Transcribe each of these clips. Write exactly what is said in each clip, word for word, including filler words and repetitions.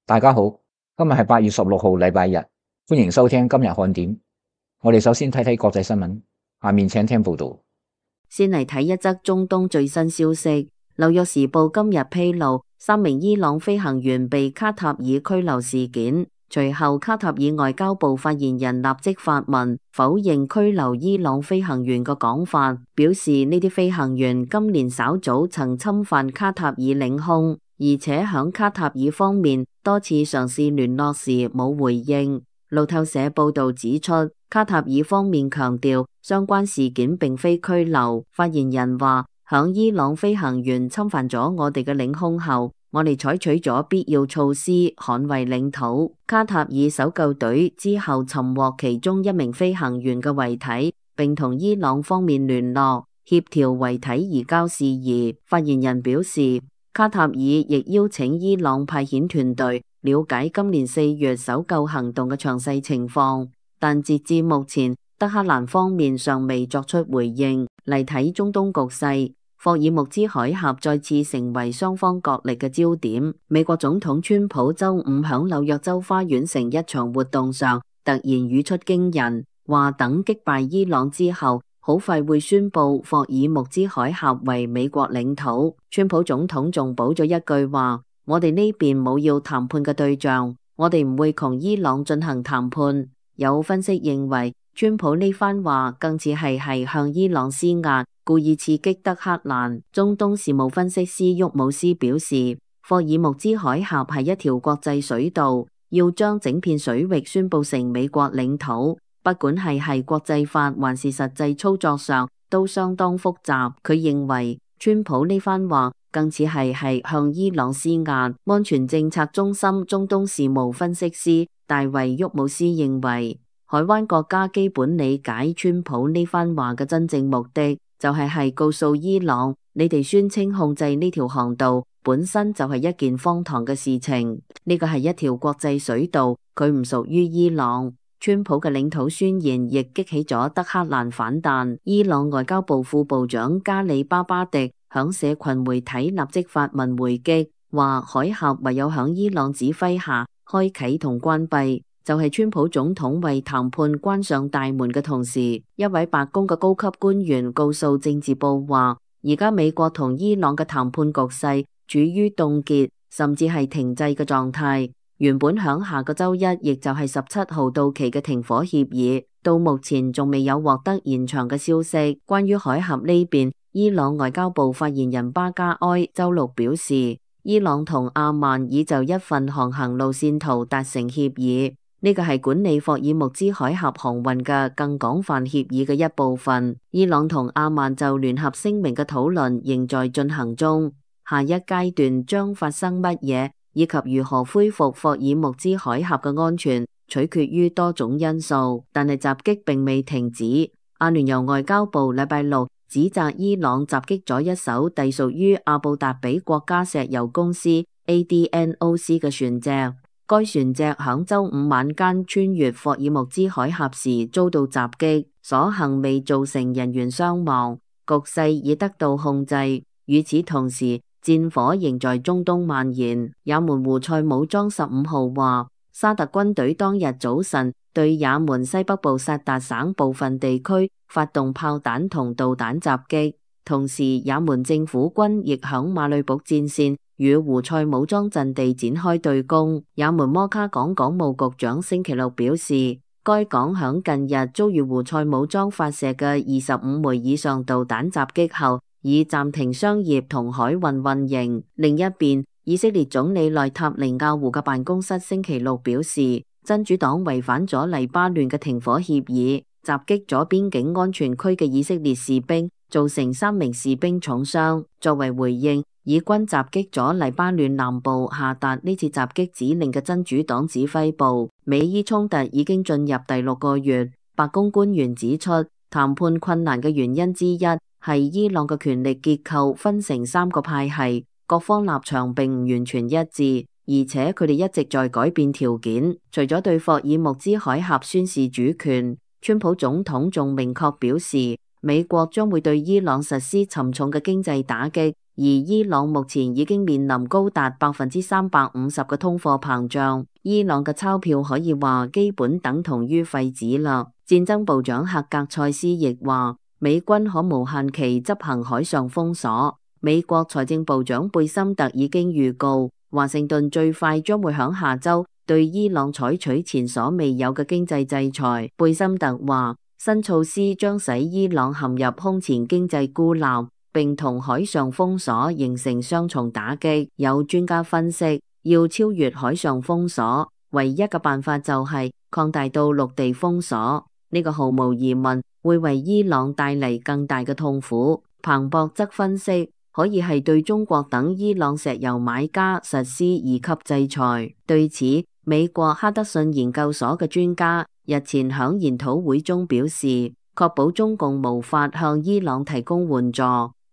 大家好，今日係八月十六號，禮拜日，歡迎收聽今日看點。我哋首先睇睇國際新聞，下面請聽報道。先嚟睇一則中東最新消息。紐約時報今日披露，三名伊朗飛行員被卡塔爾拘留事件。隨後，卡塔爾外交部發言人立即發文否認拘留伊朗飛行員嘅講法，表示呢啲飛行員今年稍早曾侵犯卡塔爾領空，而且響卡塔爾方面多次嘗試聯絡時冇回應。路透社報道指出，卡塔爾方面強調相關事件並非拘留。發言人話，響伊朗飛行員侵犯咗我哋嘅領空後，我哋採取咗必要措施捍衛領土。卡塔爾搜救隊之後尋獲其中一名飛行員嘅遺體，並同伊朗方面聯絡，協調遺體移交事宜。發言人表示，卡塔爾亦邀請伊朗派遣團隊了解今年四月搜救行動嘅詳細情況，但截至目前，德黑蘭方面尚未作出回應。嚟睇中東局勢，霍爾木茲海峽再次成為雙方角力嘅焦點。美國總統川普周五響紐約州花園城一場活動上，突然語出驚人，話等擊敗伊朗之後，好快會宣布霍爾木茲海峽為美國領土。川普總統仲補咗一句話：我哋呢邊冇要談判嘅對象，我哋唔會同伊朗進行談判。有分析認為，川普呢番話更似係係向伊朗施壓，故意刺激德黑蘭。中東事務分析師沃姆斯表示，霍爾木茲海峽係一條國際水道，要將整片水域宣布成美國領土，不管係係國際法還是實際操作上都相當複雜。佢認為川普呢番話更似係係向伊朗施壓。安全政策中心中東事務分析師大衛沃姆斯認為，海灣國家基本理解川普呢番話嘅真正目的，就係係告訴伊朗，你哋宣稱控制呢條航道本身就係一件荒唐嘅事情。呢個係一條國際水道，佢唔屬於伊朗。川普嘅領土宣言亦激起咗德黑蘭反彈。伊朗外交部副部長加里巴巴迪響社群媒體立即發文回擊，話海峽唯有響伊朗指揮下開啟同關閉，就係川普總統為談判關上大門嘅同時。一位白宮嘅高級官員告訴政治報話，而家美國同伊朗嘅談判局勢處於凍結甚至係停滯嘅狀態。原本響下個周一，亦就係十七號到期嘅停火協議，到目前仲未有獲得延長嘅消息。關於海峽呢邊，伊朗外交部發言人巴加埃周六表示，伊朗同阿曼已就一份航行路線圖達成協議，呢個係管理霍爾木茲海峽航運嘅更廣泛協議嘅一部分。伊朗同阿曼就聯合聲明嘅討論仍在進行中，下一階段將發生乜嘢，以及如何恢復霍爾木茲海峽嘅安全，取決於多種因素。但係襲擊並未停止。阿聯酋外交部禮拜六指責伊朗襲擊咗一艘隸屬於阿布達比國家石油公司 A D N O C 嘅船隻。該船隻響周五晚間穿越霍爾木茲海峽時遭到襲擊，所幸未造成人員傷亡，局勢已得到控制。與此同時，戰火仍在中東蔓延。也門胡塞武裝十五號話，沙特軍隊當日早晨對也門西北部薩達省部分地區發動炮彈同導彈襲擊，同時也門政府軍亦響馬里卜戰線與胡塞武裝陣地展開對攻。也門摩卡港港務局長星期六表示，該港響近日遭遇胡塞武裝發射嘅二十五枚以上導彈襲擊後，已暫停商業同海運運營。另一邊，以色列總理內塔尼亞胡嘅辦公室星期六表示，真主黨違反咗黎巴嫩嘅停火協議，襲擊咗邊境安全區嘅以色列士兵，造成三名士兵重傷。作為回應，以軍襲擊咗黎巴嫩南部下達呢次襲擊指令嘅真主黨指揮部。美伊衝突已經進入第六個月。白宮官員指出，談判困難嘅原因之一係伊朗嘅權力結構分成三個派系，各方立場並唔完全一致，而且佢哋一直在改變條件。除咗對霍爾木茲海峽宣示主權，川普總統仲明確表示，美國將會對伊朗實施沉重嘅經濟打擊，而伊朗目前已經面臨高達百分之三百五十嘅通貨膨脹，伊朗嘅鈔票可以話基本等同於廢紙啦。戰爭部長赫格塞斯亦話，美軍可無限期執行海上封鎖。美國財政部長貝森特已經預告，華盛頓最快將會響下周對伊朗採取前所未有嘅經濟制裁。貝森特話，新措施將使伊朗陷入空前經濟孤立，並同海上封鎖形成雙重打擊。有專家分析，要超越海上封鎖，唯一嘅辦法就係擴大到陸地封鎖。呢個毫無疑問會為伊朗帶嚟更大嘅痛苦。彭博則分析，可以係對中國等伊朗石油買家實施二級制裁。對此，美國哈德遜研究所嘅專家日前響研討會中表示，確保中共無法向伊朗提供援助，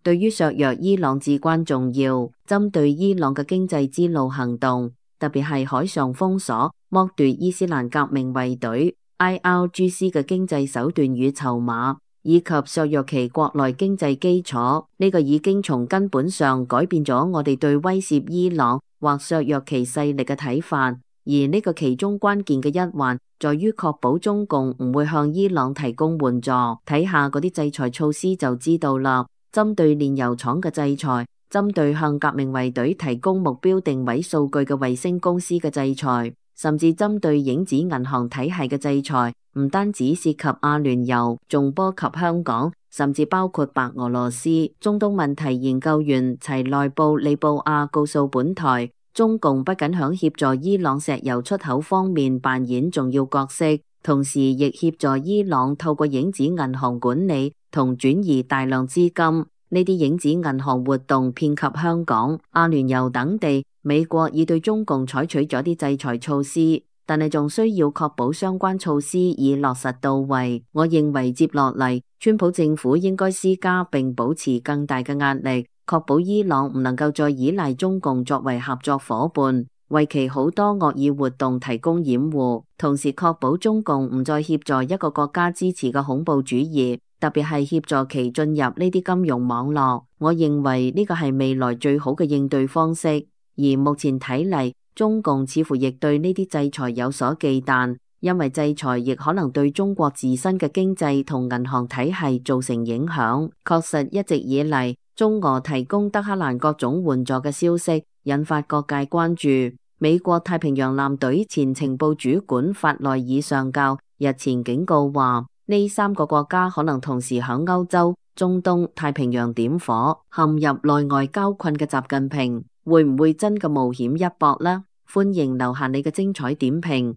對於削弱伊朗至關重要。針對伊朗嘅經濟之路行動，特別係海上封鎖、剝奪伊斯蘭革命衛隊 I R G C 嘅經濟手段與籌碼，以及削弱其國內經濟基礎，呢個已經從根本上改變咗我哋對威懾伊朗或削弱其勢力嘅睇法。而呢個其中關鍵嘅一環，在於確保中共唔會向伊朗提供援助。睇下嗰啲制裁措施就知道啦。針對煉油廠嘅制裁，針對向革命衛隊提供目標定位數據嘅衛星公司嘅制裁，甚至針對影子銀行體系嘅制裁，唔單止涉及阿聯酋，仲波及香港，甚至包括白俄羅斯。中東問題研究員齊內布利布亞告訴本台，中共不僅響協助伊朗石油出口方面扮演重要角色，同時亦協助伊朗透過影子銀行管理同轉移大量資金。呢啲影子銀行活動遍及香港、阿聯酋等地。美國已對中共採取咗啲制裁措施，但係仲需要確保相關措施已落實到位。我認為接落嚟，川普政府應該施加並保持更大嘅壓力，確保伊朗唔能夠再依賴中共作為合作夥伴，為其好多惡意活動提供掩護，同時確保中共唔再協助一個國家支持嘅恐怖主義，特別係協助其進入呢啲金融網絡。我認為呢個係未來最好嘅應對方式。而目前睇嚟，中共似乎亦對呢啲制裁有所忌憚，因為制裁亦可能對中國自身嘅經濟同銀行體系造成影響。確實一直以嚟，中俄提供德黑蘭各種援助嘅消息引發各界關注。美國太平洋艦隊前情報主管法內爾上校日前警告話，呢三個國家可能同時響歐洲、中東、太平洋點火，陷入內外交困嘅習近平會唔會真嘅冒險一搏呢？歡迎留下你嘅精彩點評。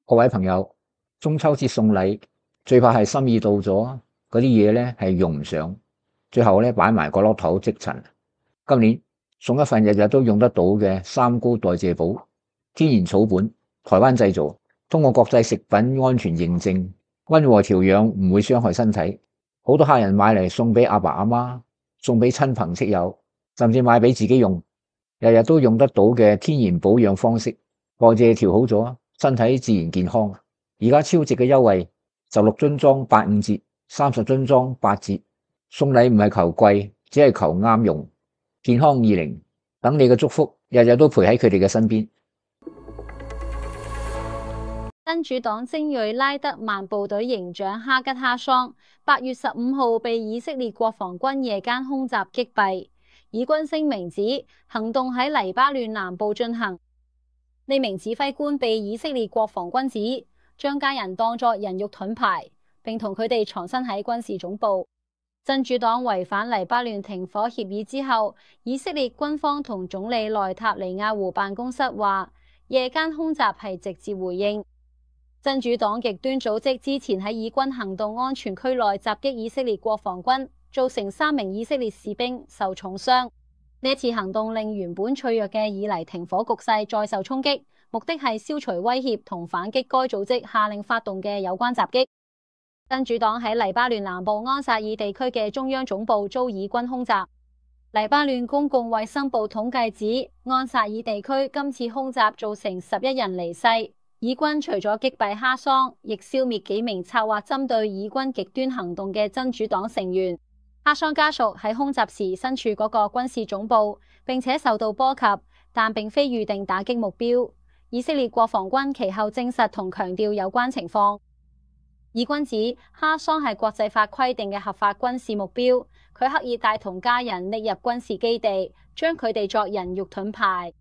各位朋友，中秋節送禮最怕係心意到咗，嗰啲嘢咧係用唔上，最後咧擺埋個落頭積塵。今年送一份日日都用得到嘅三高代謝寶，天然草本，台灣製造，通過國際食品安全認證，溫和調養，唔會傷害身體。好多客人買嚟送俾阿爸阿媽，送俾親朋戚友，甚至買俾自己用。日日都用得到嘅天然保養方式，代謝調好咗，身體自然健康。而家超值嘅優惠，十六樽裝八五折，三十樽裝八折。送禮唔係求貴，只係求啱用。健康二零，等你嘅祝福日日都陪喺佢哋嘅身邊。真主黨精銳拉德曼部隊營長哈吉哈桑，八月十五號被以色列國防軍夜間空襲擊斃。以軍聲明指行動喺黎巴嫩南部進行，呢名指揮官被以色列國防軍指將家人當作人肉盾牌，並同佢哋藏身喺軍事總部。真主黨違反黎巴嫩停火協議之後，以色列軍方同總理內塔尼亞胡辦公室話，夜間空襲係直接回應真主黨極端組織之前喺以軍行動安全區內襲擊以色列國防軍，造成三名以色列士兵受重傷。呢一次行動令原本脆弱嘅以黎停火局勢再受衝擊，目的係消除威脅同反擊該組織下令發動嘅有關襲擊。真主黨喺黎巴嫩南部安薩爾地區嘅中央總部遭以軍空襲。黎巴嫩公共衛生部統計指，安薩爾地區今次空襲造成十一人離世。以軍除咗擊斃哈桑，亦消滅幾名策劃針對以軍極端行動嘅真主黨成員。哈桑家屬喺空襲時身處嗰個軍事總部，並且受到波及，但並非預定打擊目標。以色列國防軍其後證實同強調有關情況。以軍指哈桑係國際法規定嘅合法軍事目標，佢刻意帶同家人匿入軍事基地，將佢哋作人肉盾牌。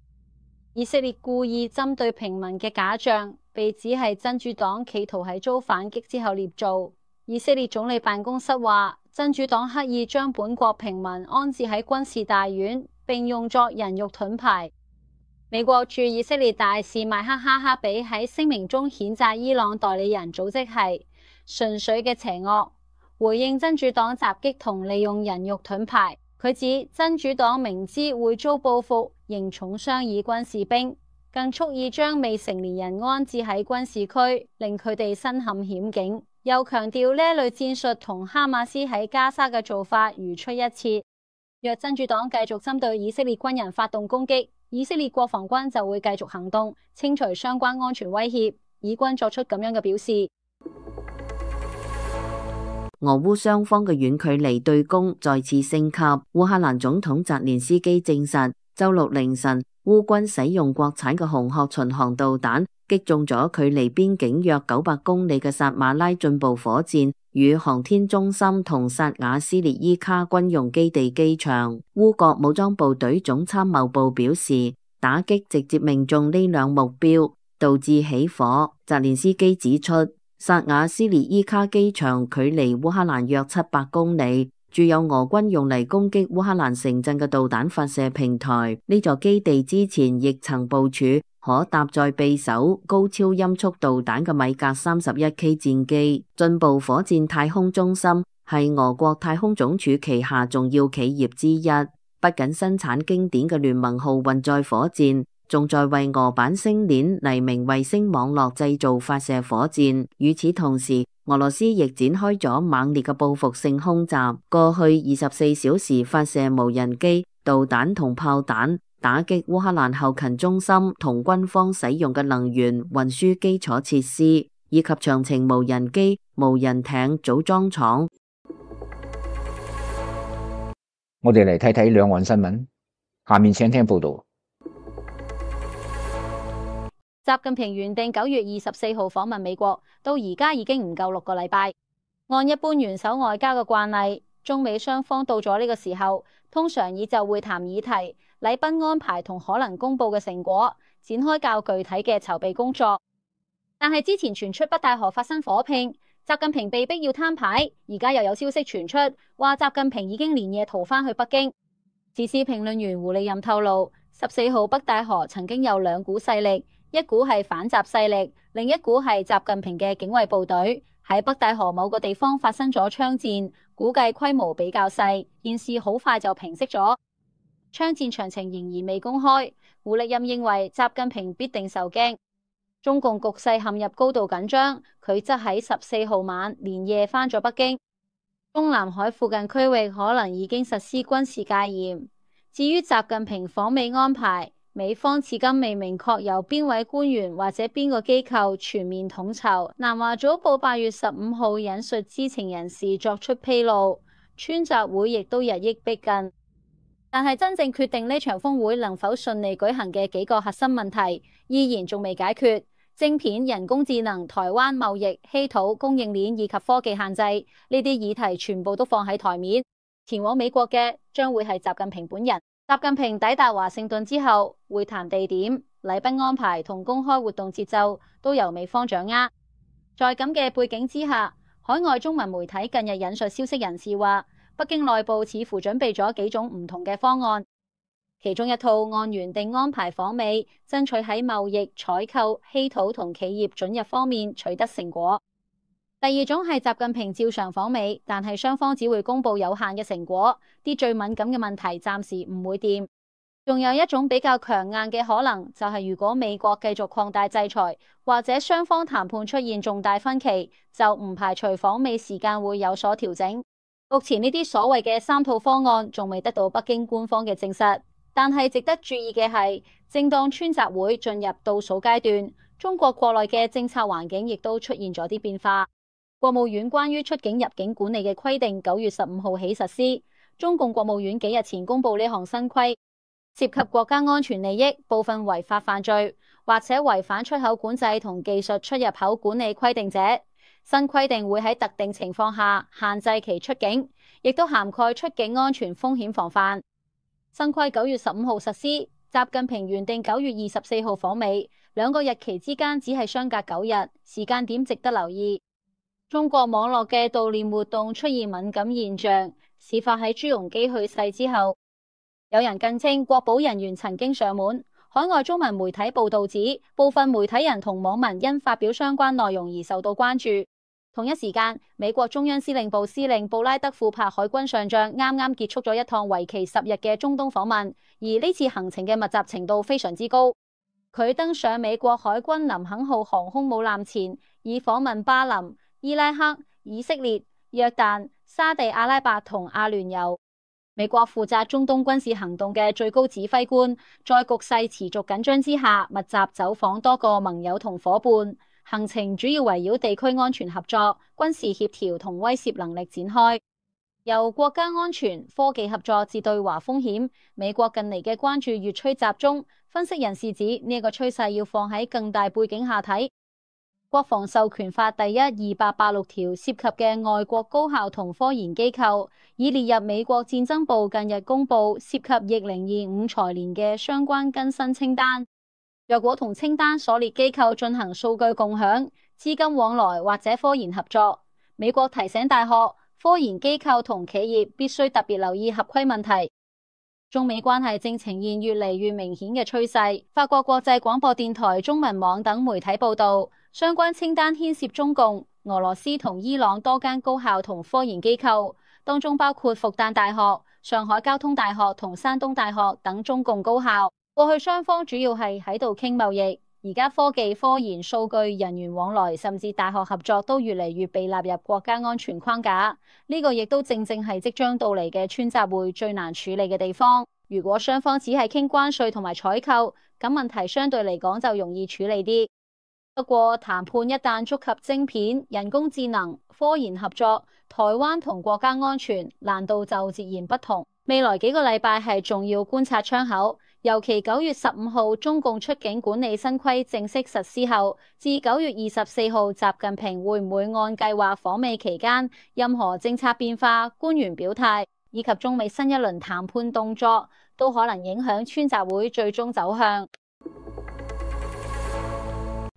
以色列故意針對平民嘅假象，被指係真主黨企圖喺遭反擊之後捏造。以色列總理辦公室話，真主黨刻意將本國平民安置喺軍事大院，並用作人肉盾牌。美國駐以色列大使麥克哈克比喺聲明中譴責伊朗代理人組織係純粹嘅邪惡，回應真主黨襲擊同利用人肉盾牌。佢指真主黨明知會遭報復，仍重傷以軍士兵，更蓄意將未成年人安置喺軍事區，令佢哋身陷險境。又強調呢一類戰術同哈馬斯喺加沙嘅做法如出一轍。若真主黨繼續針對以色列軍人發動攻擊，以色列國防軍就會繼續行動，清除相關安全威脅。以軍作出咁樣嘅表示。俄烏雙方嘅遠距離對攻再次升級。烏克蘭總統澤連斯基證實，周六凌晨烏軍使用國產嘅紅鶴巡航導彈擊中咗距離邊境約九百公里嘅薩馬拉進步火箭與航天中心同薩瓦斯列伊卡軍用基地機場。烏國武裝部隊總參謀部表示，打擊直接命中呢兩目標，導致起火。澤連斯基指出，薩瓦斯列伊卡機場距離烏克蘭約七百公里，駐有俄軍用嚟攻擊烏克蘭城鎮嘅導彈發射平台。呢座基地之前亦曾部署可搭載匕首高超音速導彈嘅米格三十一 K 戰機。進步火箭太空中心係俄國太空總署旗下重要企業之一，不僅生產經典嘅聯盟號運載火箭，仲在為俄版星鏈黎明衛星網絡製造發射火箭。與此同時，俄羅斯亦展開咗猛烈嘅報復性空襲，過去二十四小時發射無人機、導彈同炮彈，打擊烏克蘭後勤中心同軍方使用嘅能源運輸基礎設施，以及長程無人機、無人艇組裝廠。我哋嚟睇睇兩岸新聞，下面請聽報道。習近平原定九月二十四號訪問美國，到而家已經唔夠六個禮拜。按一般元首外交嘅慣例，中美雙方到咗呢個時候，通常以就會談議題、禮賓安排同可能公布嘅成果，展開較具體嘅籌備工作。但係之前傳出北戴河發生火拼，習近平被逼要攤牌，而家又有消息傳出，話習近平已經連夜逃返去北京。時事評論員胡利任透露，十四號北戴河曾經有兩股勢力，一股係反習勢力，另一股係習近平嘅警衛部隊，喺北戴河某個地方發生咗槍戰，估計規模比較細，件事好快就平息咗。槍戰詳情仍然未公開。胡利任認為習近平必定受驚，中共局勢陷入高度緊張，佢則喺十四號晚連夜返咗北京。中南海附近區域可能已經實施軍事戒嚴。至於習近平訪美安排，美方至今未明確由邊位官員或者邊個機構全面統籌。南華早報八月十五號引述知情人士作出披露，川習會亦都日益逼近。但係真正決定呢場峰會能否順利舉行嘅幾個核心問題，依然仲未解決。晶片、人工智能、台灣貿易、稀土、供應鏈以及科技限制，呢啲議題全部都放喺台面。前往美國嘅將會係習近平本人。習近平抵達華盛頓之後，會談地點、禮賓安排同公開活動節奏都由美方掌握。在咁嘅背景之下，海外中文媒體近日引述消息人士話，北京內部似乎準備咗幾種唔同嘅方案，其中一套按原定安排訪美，爭取喺貿易、採購、稀土同企業准入方面取得成果。第二種係習近平照常訪美，但係雙方只會公布有限嘅成果，啲最敏感嘅問題暫時唔會掂。仲有一種比較強硬嘅可能，就係如果美國繼續擴大制裁，或者雙方談判出現重大分歧，就唔排除訪美時間會有所調整。目前呢啲所謂嘅三套方案仲未得到北京官方嘅證實，但係值得注意嘅係，正當川習會進入倒數階段，中國國內嘅政策環境亦都出現咗啲變化。國務院關於出境入境管理嘅規定九月十五號起實施。中共國務院幾日前公布呢項新規，涉及國家安全利益、部分違法犯罪或者違反出口管制同技術出入口管理規定者，新規定會喺特定情況下限制其出境，亦都涵蓋出境安全風險防範。新規九月十五號實施，習近平原定九月二十四號訪美，兩個日期之間只係相隔九日，時間點值得留意。中國網絡嘅悼念活動出現敏感現象，事發喺朱鎔基去世之後，有人更稱國保人員曾經上門。海外中文媒體報道指，部分媒體人同網民因發表相關內容而受到關注。同一時間，美國中央司令部司令布拉德庫珀海軍上將啱啱結束咗一趟為期十日嘅中東訪問，而呢次行程嘅密集程度非常之高。佢登上美國海軍林肯號航空母艦前，以訪問巴林、伊拉克、以色列、約旦、沙地阿拉伯同阿聯酋。美國負責中東軍事行動嘅最高指揮官，在局勢持續緊張之下，密集走訪多個盟友同夥伴，行程主要圍繞地區安全合作、軍事協調同威懾能力展開。由國家安全、科技合作至對華風險，美國近嚟嘅關注越趨集中。分析人士指呢個趨勢要放喺更大背景下睇。國防授權法第一二百八十六條涉及嘅外國高校同科研機構，已列入美國戰爭部近日公布涉及疫零二五財年嘅相關更新清單。若果同清單所列機構進行數據共享、資金往來或者科研合作，美國提醒大學、科研機構同企業必須特別留意合規問題。中美關係正呈現越嚟越明顯嘅趨勢。法國國際廣播電台中文網等媒體報道，相關清單牽涉中共、俄羅斯同伊朗多間高校同科研機構，當中包括復旦大學、上海交通大學同山東大學等中共高校。過去雙方主要係喺度傾貿易，而家科技、科研、數據、人員往來，甚至大學合作都越嚟越被納入國家安全框架。呢個亦都正正係即將到嚟嘅川習會最難處理嘅地方。如果雙方只係傾關稅同埋採購，咁問題相對嚟講就容易處理啲。不過談判一旦觸及晶片、人工智能、科研合作、台灣同國家安全，難度就截然不同。未來幾個禮拜係重要觀察窗口，尤其九月十五號中共出境管理新規正式實施後，至九月二十四號習近平會唔會按計劃訪美期間，任何政策變化、官員表態以及中美新一輪談判動作，都可能影響川習會最終走向。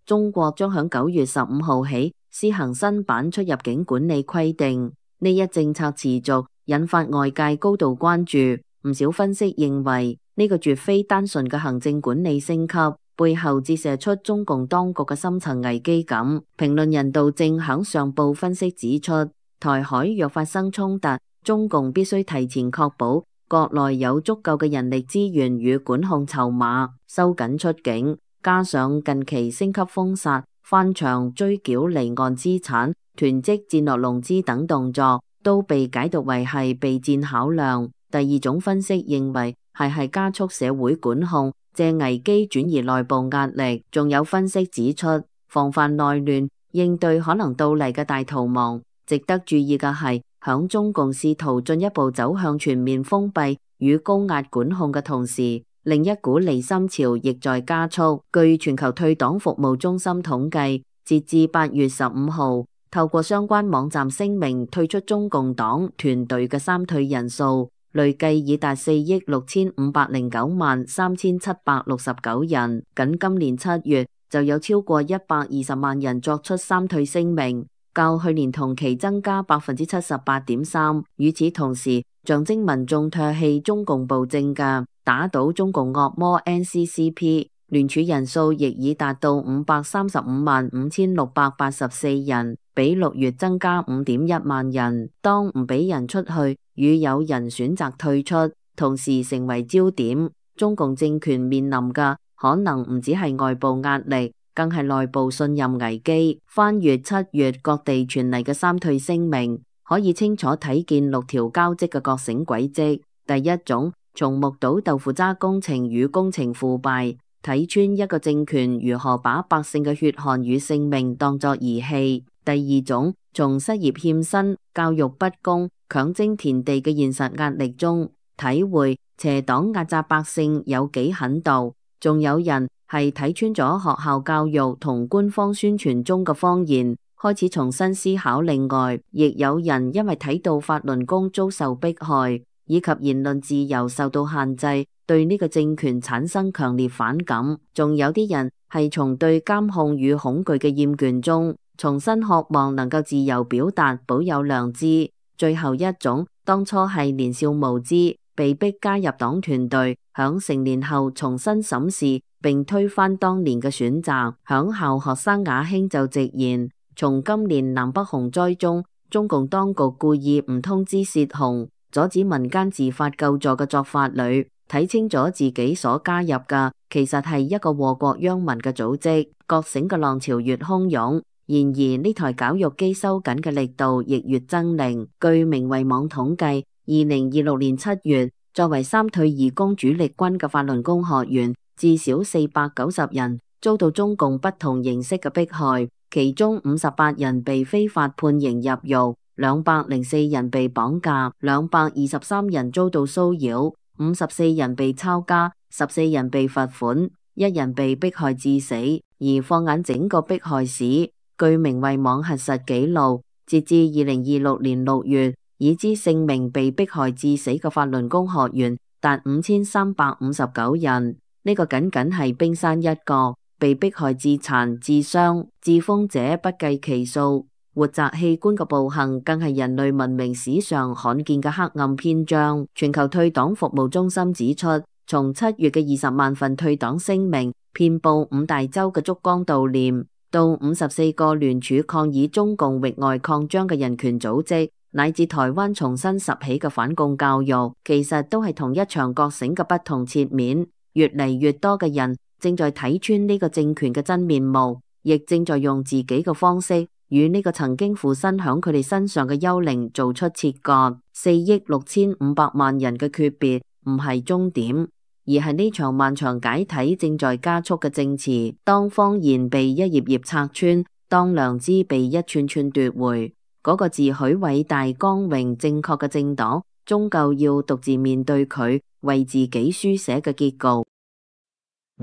中國將響九月十五號起施行新版出入境管理規定，呢一政策持續引發外界高度關注。唔少分析認為，呢個絕非單純嘅行政管理升級，背後折射出中共當局嘅深層危機感。評論人道正響上報分析指出，台海若發生衝突，中共必須提前確保國內有足夠嘅人力資源與管控籌碼，收緊出境。加上近期升級封殺、翻牆追繳離岸資產、囤積戰略融資等動作，都被解讀為係備戰考量。第二種分析認為係係加速社會管控，借危機轉移內部壓力。仲有分析指出，防範內亂、應對可能到嚟嘅大逃亡。值得注意嘅係，響中共試圖進一步走向全面封閉與高壓管控嘅同時，另一股離心潮亦在加速。據全球退黨服務中心統計，截至八月十五號，透過相關網站聲明退出中共黨團隊嘅三退人數，累計已達四億六千五百零九萬三千七百六十九人。僅今年七月就有超過一百二十萬人作出三退聲明，較去年同期增加百分之七十八點三。與此同時，象徵民眾唾棄中共暴政嘅打倒中共惡魔 N C C P 聯署人數亦已達到五百三十五萬五千六百八十四人，比六月增加五點一萬人。當唔俾人出去，與有人選擇退出，同時成為焦點。中共政權面臨嘅可能唔只係外部壓力，更係內部信任危機。翻閱七月各地傳嚟嘅三退聲明，可以清楚睇見六條交織嘅覺醒軌跡。第一種，從目睹豆腐渣工程與工程腐敗，睇穿一個政權如何把百姓嘅血汗與性命當作儀器。第二種，從失業欠薪、教育不公、強徵田地嘅現實壓力中，體會邪黨壓榨百姓有幾狠毒。仲有人係睇穿咗學校教育同官方宣傳中嘅謊言，開始重新思考。另外，亦有人因為睇到法輪功遭受迫害，以及言論自由受到限制，對呢個政權產生強烈反感。仲有啲人係從對監控與恐懼嘅厭倦中，重新渴望能夠自由表達，保有良知。最後一種，當初係年少無知，被逼加入黨團隊，響成年後重新審視並推翻當年嘅選擇。響校學生雅興就直言，從今年南北洪災中，中共當局故意唔通知洩洪，阻止民間自發救助嘅作法裏，睇清咗自己所加入嘅其實係一個禍國殃民嘅組織。覺醒嘅浪潮越洶湧，然而呢台絞肉機收緊嘅力度亦越猙獰。據明慧網統計，二零二六年七月，作為三退二攻主力軍嘅法輪功學員至少四百九十人遭到中共不同形式嘅迫害，其中五十八人被非法判刑入獄，兩百零四人被綁架，兩百二十三人遭到騷擾，五十四人被抄家，十四人被罰款，一人被迫害致死。而放眼整個迫害史，據明慧網核實記錄，截至二零二六年六月，已知性命被迫害致死嘅法輪功學員達五千三百五十九人，呢、這個僅僅係冰山一角，被迫害致殘、致傷、致瘋者不計其數。活摘器官嘅暴行更係人類文明史上罕見嘅黑暗篇章。全球退黨服務中心指出，從七月嘅二十萬份退黨聲明遍佈五大洲嘅燭光悼念，到五十四個聯署抗議中共域外擴張嘅人權組織，乃至台灣重新拾起嘅反共教育，其實都係同一場覺醒嘅不同切面。越嚟越多嘅人正在睇穿呢個政權嘅真面目，亦正在用自己嘅方式與呢個曾經附身響佢哋身上嘅幽靈做出切割。四億六千五百萬人嘅訣別唔係終點，而係呢場漫長解體正在加速嘅證詞。當謊言被一頁頁拆穿，當良知被一串串奪回，嗰、那個自詡偉大、光榮、正確嘅政黨，終究要獨自面對佢為自己書寫嘅結局。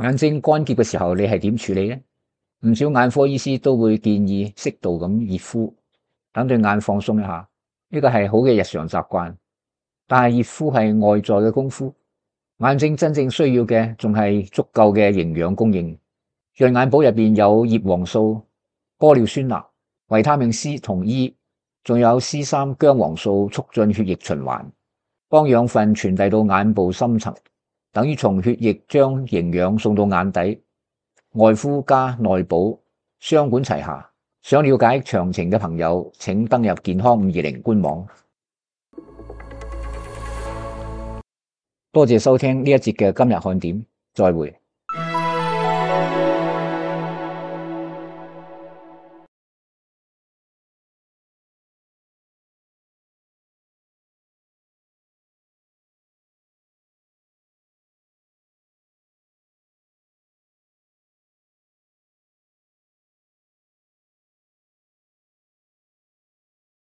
眼睛乾澀嘅時候，你係點處理呢？唔少眼科醫師都會建議適度咁熱敷，等對眼放鬆一下。呢個係好嘅日常習慣，但係熱敷係外在嘅功夫，眼睛真正需要嘅仲係足夠嘅營養供應。潤眼寶入邊有葉黃素、玻尿酸鈉、維他命 C 同 E， 仲有 C 三薑黃素，促進血液循環，幫養分傳遞到眼部深層，等於從血液將營養送到眼底。外敷加內補，雙管齊下。想了解詳情嘅朋友，請登入健康五二零官網。多謝收聽呢一節嘅今日看點，再會。